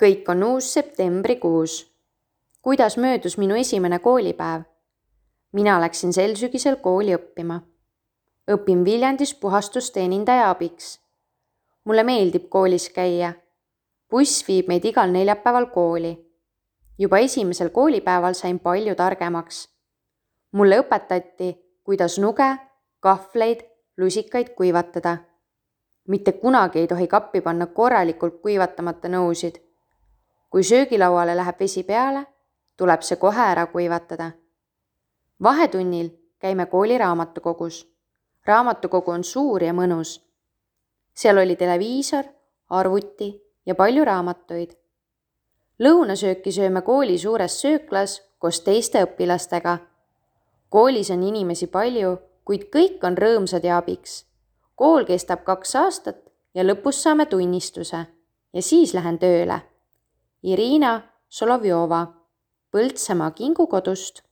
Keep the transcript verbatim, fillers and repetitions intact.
Kõik on uus septembrikuus. Kuidas möödus minu esimene koolipäev? Mina läksin sel sügisel kooli õppima. Õpin Viljandis puhastusteenindaja abiks. Mulle meeldib koolis käia. Buss viib meid igal neljapäeval kooli. Juba esimesel koolipäeval sain palju targemaks. Mulle õpetati, kuidas nuge, kahvleid, lusikaid kuivatada. Mitte kunagi ei tohi kappi panna korralikult kuivatamata nõusid. Kui söögilauale läheb vesi peale, tuleb see kohe ära kuivatada. Vahetunnil käime kooli raamatukogus. Raamatukogu on suur ja mõnus. Seal oli televiisor, arvuti ja palju raamatuid. Lõunasööki sööme kooli suures sööklas koos teiste õpilastega. Koolis on inimesi palju, kuid kõik on rõõmsad ja abiks. Kool kestab kaks aastat ja lõpus saame tunnistuse ja siis lähen tööle. Irina Solovjova, Põltsamaa kingukodust.